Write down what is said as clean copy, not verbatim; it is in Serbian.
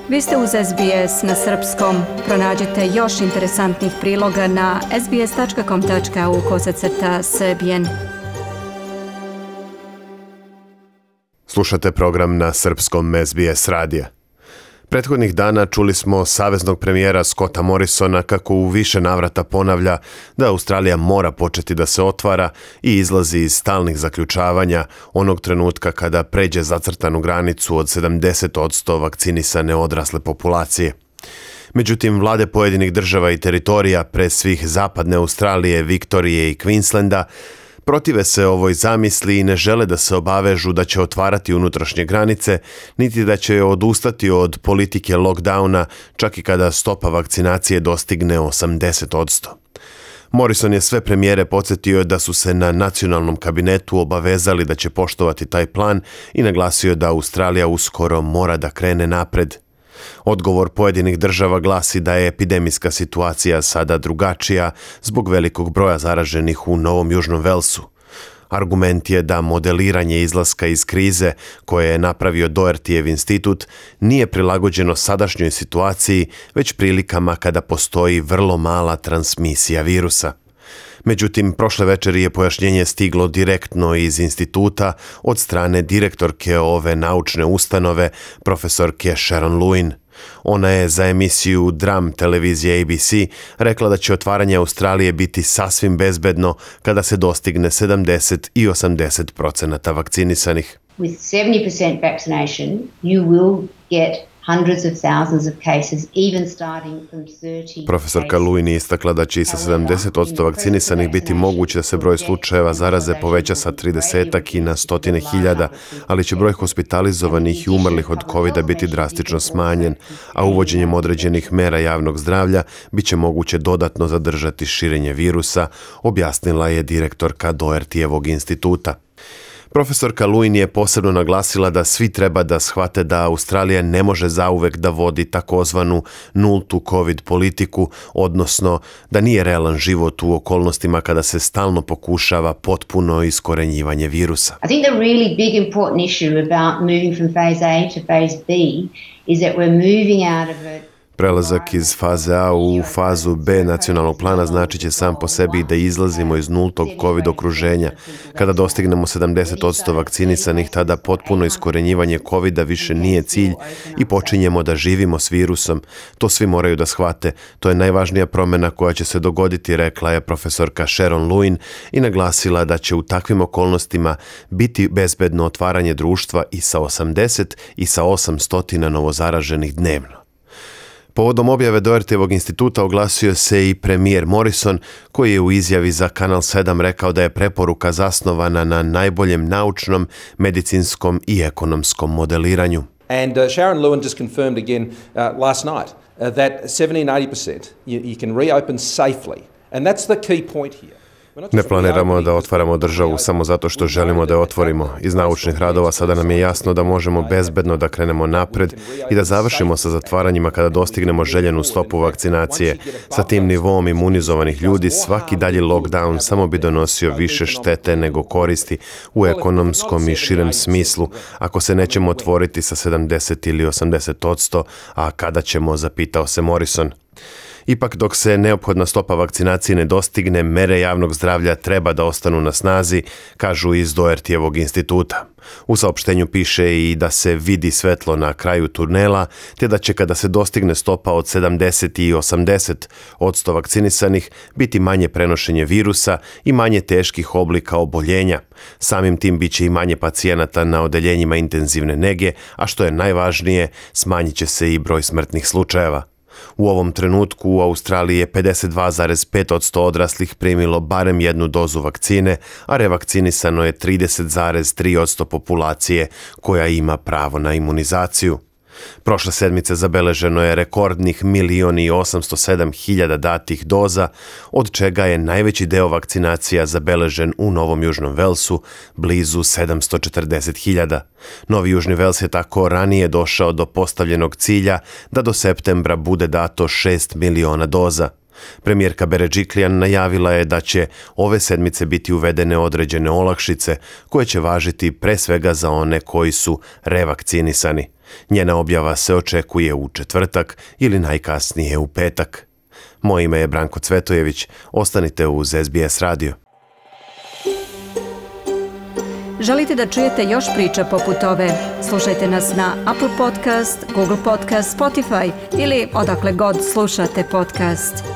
Vi ste uz SBS na srpskom. Pronađite još interesantnih priloga na sbs.com.au/srbijen. Slušate program na srpskom SBS radija. Prethodnih dana čuli smo saveznog premijera Scotta Morrisona kako u više navrata ponavlja da Australija mora početi da se otvara i izlazi iz stalnih zaključavanja onog trenutka kada pređe zacrtanu granicu od 70% vakcinisane odrasle populacije. Međutim, vlade pojedinih država i teritorija, pre svih zapadne Australije, Viktorije i Queenslanda, protive se ovoj zamisli i ne žele da se obavežu da će otvarati unutrašnje granice, niti da će odustati od politike lockdowna, čak i kada stopa vakcinacije dostigne 80%. Morrison je sve premijere podsjetio da su se na nacionalnom kabinetu obavezali da će poštovati taj plan i naglasio da Australija uskoro mora da krene napred. Odgovor pojedinih država glasi da je epidemijska situacija sada drugačija zbog velikog broja zaraženih u Novom Južnom Velsu. Argument je da modeliranje izlaska iz krize koje je napravio Dohertyjev institut nije prilagođeno sadašnjoj situaciji, već prilikama kada postoji vrlo mala transmisija virusa. Međutim, prošle večeri je pojašnjenje stiglo direktno iz instituta od strane direktorke ove naučne ustanove, profesorke Sharon Lewin. Ona je za emisiju Dram televizije ABC rekla da će otvaranje Australije biti sasvim bezbedno kada se dostigne 70 i 80% vakcinisanih. With 70% vaccination, you will get hundreds of thousands of cases, even starting from 30. Profesorka Lewin je istakla da će i sa 70% vakcinisanih biti moguće da se broj slučajeva zaraze poveća sa 30 i na 100.000, ali će broj hospitalizovanih i umrlih od COVID-a biti drastično smanjen, a uvođenjem određenih mera javnog zdravlja bit će moguće dodatno zadržati širenje virusa, objasnila je direktorka Dohertyjevog instituta. Profesorka Lewin je posebno naglasila da svi treba da shvate da Australija ne može zauvek da vodi takozvanu nultu COVID politiku, odnosno da nije realan život u okolnostima kada se stalno pokušava potpuno iskorenjivanje virusa. I think the really big important issue about moving from phase A to phase B is that we're moving out of it. Prelazak iz faze A u fazu B nacionalnog plana znači će sam po sebi da izlazimo iz nultog COVID okruženja. Kada dostignemo 70% vakcinisanih, tada potpuno iskorenjivanje COVID-a više nije cilj i počinjemo da živimo s virusom. To svi moraju da shvate. To je najvažnija promjena koja će se dogoditi, rekla je profesorka Sharon Lewin i naglasila da će u takvim okolnostima biti bezbedno otvaranje društva i sa 80 i sa 800 novozaraženih dnevno. Povodom objave Dohertyjevog instituta oglasio se i premijer Morrison, koji je u izjavi za Kanal 7 rekao da je preporuka zasnovana na najboljem naučnom, medicinskom i ekonomskom modeliranju. And Sharon Lewin just confirmed again last night that 70 and 80% you can reopen safely. And that's the key point here. Ne planiramo da otvaramo državu samo zato što želimo da je otvorimo. Iz naučnih radova sada nam je jasno da možemo bezbedno da krenemo napred i da završimo sa zatvaranjima kada dostignemo željenu stopu vakcinacije. Sa tim nivom imunizovanih ljudi svaki dalji lockdown samo bi donosio više štete nego koristi u ekonomskom i širem smislu ako se nećemo otvoriti sa 70 ili 80%, a kada ćemo, zapitao se Morrison. Ipak, dok se neophodna stopa vakcinacije ne dostigne, mere javnog zdravlja treba da ostanu na snazi, kažu iz Dohertyjevog instituta. U saopštenju piše i da se vidi svetlo na kraju tunela, te da će kada se dostigne stopa od 70 i 80% vakcinisanih biti manje prenošenje virusa i manje teških oblika oboljenja. Samim tim biće i manje pacijenata na odeljenjima intenzivne nege, a što je najvažnije, smanjit će se i broj smrtnih slučajeva. U ovom trenutku u Australiji je 52,5% odraslih primilo barem jednu dozu vakcine, a revakcinisano je 30,3% populacije koja ima pravo na imunizaciju. Prošle sedmice zabeleženo je rekordnih 1.807.000 datih doza, od čega je najveći deo vakcinacija zabeležen u Novom Južnom Velsu, blizu 740.000. Novi Južni Vels je tako ranije došao do postavljenog cilja da do septembra bude dato 6 miliona doza. Premijerka Beređiklijan najavila je da će ove sedmice biti uvedene određene olakšice koje će važiti pre svega za one koji su revakcinisani. Njena objava se očekuje u četvrtak ili najkasnije u petak. Moje ime je Branko Cvetojević. Ostanite uz SBS radio. Želite da čujete još priča poput ove? Slušajte nas na Apple Podcast, Google Podcast, Spotify ili odakle god slušate podcast.